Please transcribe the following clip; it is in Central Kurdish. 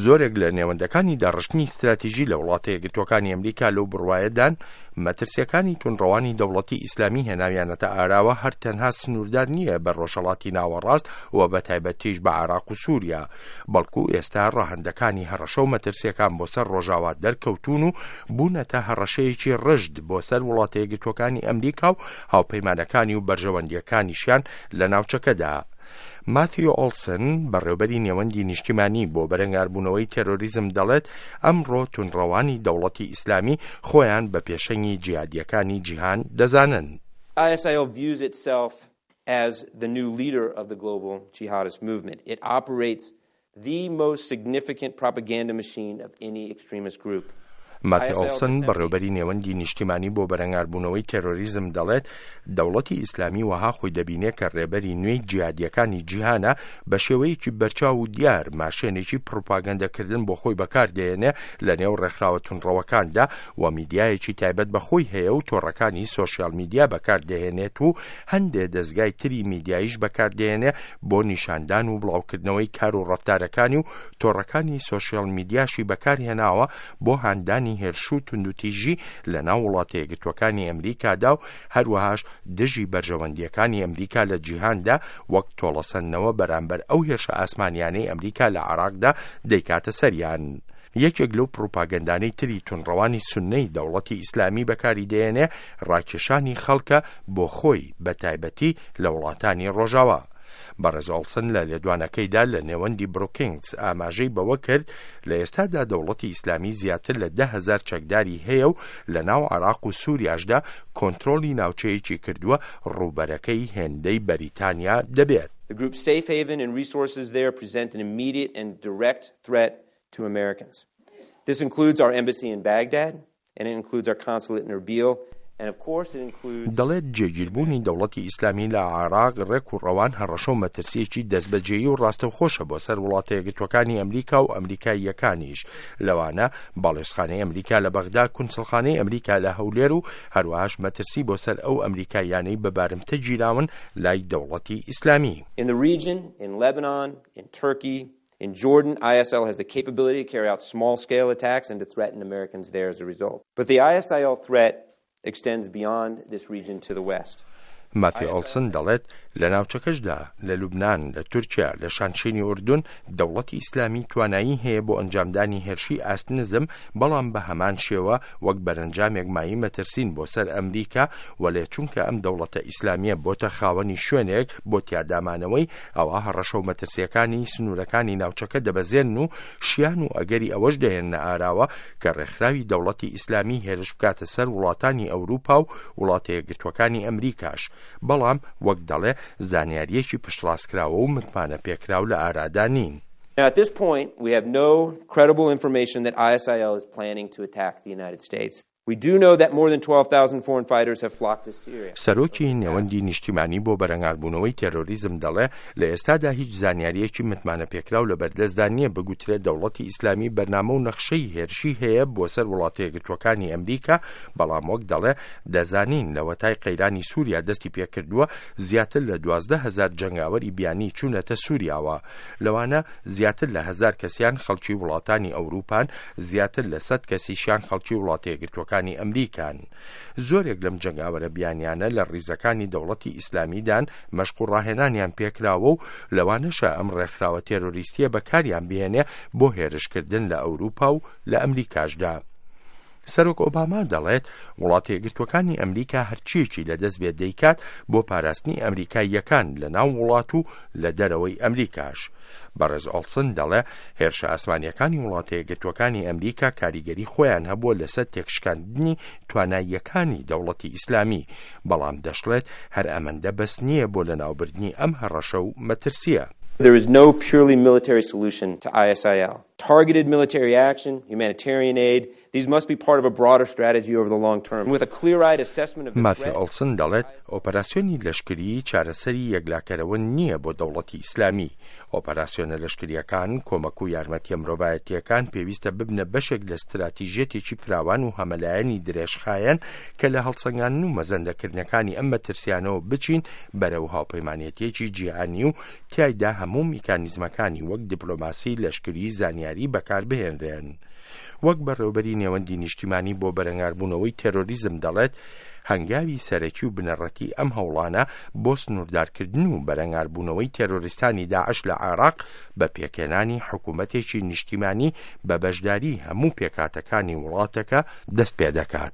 زۆرێک لە نێوەندەکانی داڕشتنی ستراتیژی لە وڵاتە یەکگرتووەکانی ئەمریکا لەو بڕوایەدان مەترسییەکانی توندڕەوانی دەوڵەتی ئیسلامی هێناویانەتە ئاراوە هەر تەنها سنووردار نییە بە ڕۆژهەڵاتی ناوەڕاست و بە تایبەتیش بە عێراق و سووریا بەڵکو ئێستا ڕەهەندەکانی هەڕەشە و مەترسییەکان بۆ سەر ڕۆژاوا دەرکەوتوون و بوونەتە هەڕەشەیەکی ڕژد بۆ سەر وڵاتە یەکگرتووەکانی ئەمریکا و هاوپەیمانەکانی و بەرژەوەندییەکانیشیان لە ناوچەکەدا. ماثیۆ ئۆڵسن، بەڕێوبەری نێوەندی نیشتیمانی بۆ بەرەنگاربوونەوەی تێرۆریزم دەڵێت، ئەمڕۆ توندڕەوانی دەوڵەتی ئیسلامی خۆیان بە پێشەنگی جیهادییەکانی جیهان دەزانن. ISIL views itself as the new leader of the global jihadist movement. It operates The most significant propaganda machine of any extremist group. ماتی ئۆڵسن، بەڕێوبەری نێوەندی نیشتیمانی بۆ بەرەنگاربوونەوەی تێرۆریزم دەڵێت، دەوڵەتی ئیسلامی وەها خۆی دەبینێ کە ڕێبەری نوێی جیهادییەکانی جیهانە، بە شێوەیەکی بەرچاو و دیار ماشێنێکی پڕوپاگەندەکردن بۆ خۆی بەکار دەهێنێ لە نێو ڕێکخراوە توندڕەوەکاندا و میدیایەکی تایبەت بە خۆی هەیە و تۆڕەکانی سۆشیال میدیا بەکار دەهێنێت و هەندێ دەزگای تری میدیاییش بەکار دەهێنێ بۆ نیشاندان و بڵاوکردنەوەی کار و ڕەفتارەکانی و تۆڕەکانی سۆشیال میدیاشی بەکارهێناوە بۆ هاندانی هێرش و توندوتیژی لە ناو وڵاتە یەکگرتووەکانی ئەمریکادا و هەروەهاش دژی بەرژەوەندییەکانی ئەمریکا لە جیهاندا وەک تۆڵەسەندنەوە بەرامبەر ئەو هێرشە ئاسمانیانەی ئەمریکا لە عێراقدا دەیکاتە سەریان. یەکێک لەو پڕوپاگەندانەی تری توندڕەوانی سوننەی دەوڵەتی ئیسلامی بەکاری دەیەنێ ڕاکێشانی خەڵکە بۆ خۆی بەتایبەتی لە وڵاتانی ڕۆژاوا. بەڕێز ئۆڵسن لە لێدوانەکەیدا لە نێوەندی بروکینگز ئاماژەی بەوە کرد لە ئێستادا دەوڵەتی ئیسلامی زیاتر لە 10,000 چەکداری هەیە و لە ناو عێراق و سوریاشدا کۆنترۆڵی ناوچەیەکی کردووە ڕووبەرەکەی هێندەی بەریتانیا دەبێت. The group's safe haven and resources there present an immediate and direct threat to Americans. This includes our embassy in Baghdad and it includes our consulate in Erbil and of course it includes دەڵێت جێگیربوونی دەوڵەتی ئیسلامی لە عێراق ڕێک و ڕەوان هەڕەشە و مەترسییەکی دەستبەجێی و ڕاستەوخۆشە بۆ سەر وڵاتە یەکگرتووەکانی ئەمریکا و ئەمریکاییەکانیش لەوانە باڵیۆزخانەی ئەمریکا لە بەغدا، کونسڵخانەی ئەمریکا لە هەولێر و هەروەهاش مەترسی بۆ سەر ئەو ئەمریکاییانەی بە بارمتە گیراون لای دەوڵەتی ئیسلامی. In the region, in Lebanon, in Turkey, In Jordan, ISIL has the capability to carry out small-scale attacks and to threaten Americans there as a result. But the ISIL threat extends beyond this region to the west. ماثیۆ ئۆڵسن دەڵێت، لە ناوچەکەشدا، لە لوبنان، لە تورکیا، لە شانشینی ئوردون، دەوڵەتی ئیسلامی توانایی هەیە بۆ ئەنجامدانی هێرشی ئاست نزم، بەڵام بە هەمان شێوە وەک بەرەنجامێک مایەی مەترسین بۆ سەر ئەمریکا، وەلێ چونکە ئەم دەوڵەتە ئیسلامییە بۆتە خاوەنی شوێنێک بۆ تیادامانەوەی، ئەوا هەڕەشە و مەترسییەکانی سنوورەکانی ناوچەکە دەبەزێنن و شیان و ئەگەری ئەوەش دەهێننە ئاراوە کە ڕێکخراوی دەوڵەتی ئیسلامی هێرش بکاتە سەر وڵاتانی ئەوروپا و وڵاتە یەکگرتووەکانی ئەمریکاش، بەڵام وەک دەڵێ زانیارییەکی پشتڕاستکراوە و متمانەپێکراو لە ئارادا نین. Now at this point we have no credible information that ISIL is planning to attack the United States. We do know that more than 12,000 foreign fighters have flocked to Syria. سەرۆکی نێوەندی نیشتیمانی بۆ بەرەنگاربوونەوەی تێرۆریزم دەڵێ، لە ئێستادا هیچ زانیارییەکی متمانەپێکراو لەبەردەستدا نییە بگوترێ دەوڵەتی ئیسلامی بەرنامە و نەخشەی هێرشی هەیە بۆ سەر وڵاتەیەکگرتووەکانی ئەمریکا، بەڵام وەک دەڵێ دەزانین لەوەتای قەیرانی سووریا دەستی پێکردووە زیاتر لە 12,000 جەنگاوەری بیانی چوونەتە سووریاوە لەوانە زیاتر لە هەزار کەسیان خەڵکی وڵاتانی ئەوروپان، زیاتر لە سەد کەسیشیان خەڵکی وڵاتەیەکگرتووەکانی ئەمریکان. زۆرێک لەم جەنگاوەرە بیانیانە لە ڕیزەکانی دەوڵەتی ئیسلامیدان، مەشق و ڕاهێنانیان پێکراوە و لەوانەشە ئەم ڕێکخراوە تێرۆریستییە بەکاریان بهێنێ بۆ هێرشکردن لە ئەوروپا و لە ئەمریکاشدا. سەرۆک ئۆباما دەڵێت وڵاتە یەکگرتووەکانی ئەمریکا هەرچییەکی لەدەست بێت دەیکات بۆ پاراستنی ئەمریکاییەکان لە ناو وڵات و لە دەرەوەی ئەمریکاش. بەڕێز ئۆڵسن دەڵێ هێرشە ئاسمانییەکانی وڵاتە یەکگرتووەکانی ئەمریکا کاریگەری خۆیان هەبووە لەسەر تێکشکاندنی تواناییەکانی دەوڵەتی ئیسلامی، بەڵام دەشڵێت هەر ئەمەندە بەس نییە بۆ لەناوبردنی ئەم هەڕەشە و مەترسییە. There is no purely military solution to ISIL. Targeted military action, humanitarian aid, these must be part of a broader strategy over the long term. With a clear-eyed assessment of the ماثیۆ threat, ئۆڵسن دەڵێت، ئۆپەراسیۆنی لەشکریی چارەسەری یەکلاکەرەوە نییە بۆ دەوڵەتی ئیسلامی. ئۆپەراسیۆنە لەشکرییەکان، کۆمەک و یارمەتییە مرۆڤایەتییەکان پێویستە ببنە بەشێک لە ستراتیژیەتێکی فراوان و هەمەلایەنی درێژخایەن کە لە هەڵسەنگاندن و مەزەندەکردنەکانی ئەم مەترسیانەوە بچین بەرەو هاوپەیمانێتییەکی جیهانی و تیایدا هەموو میکانیزمەکانی وەک دیپلۆماسی، لەشکری، زانیاری. زانیاری بەکاربهێنرێن. وەک بەڕێوبەری نێوەندی نیشتیمانی بۆ بەرەنگاربوونەوەی تێرۆریزم دەڵێت، هەنگاوی سەرەکی و بنەڕەتی ئەم هەوڵانە بۆ سنووردارکردن و بەرەنگاربوونەوەی تێرۆریستانی داعش لە عێراق بە پێکهێنانی حکوومەتێکی نیشتیمانی بە بەشداری هەموو پێکهاتەکانی وڵاتەکە دەست پێدەکات.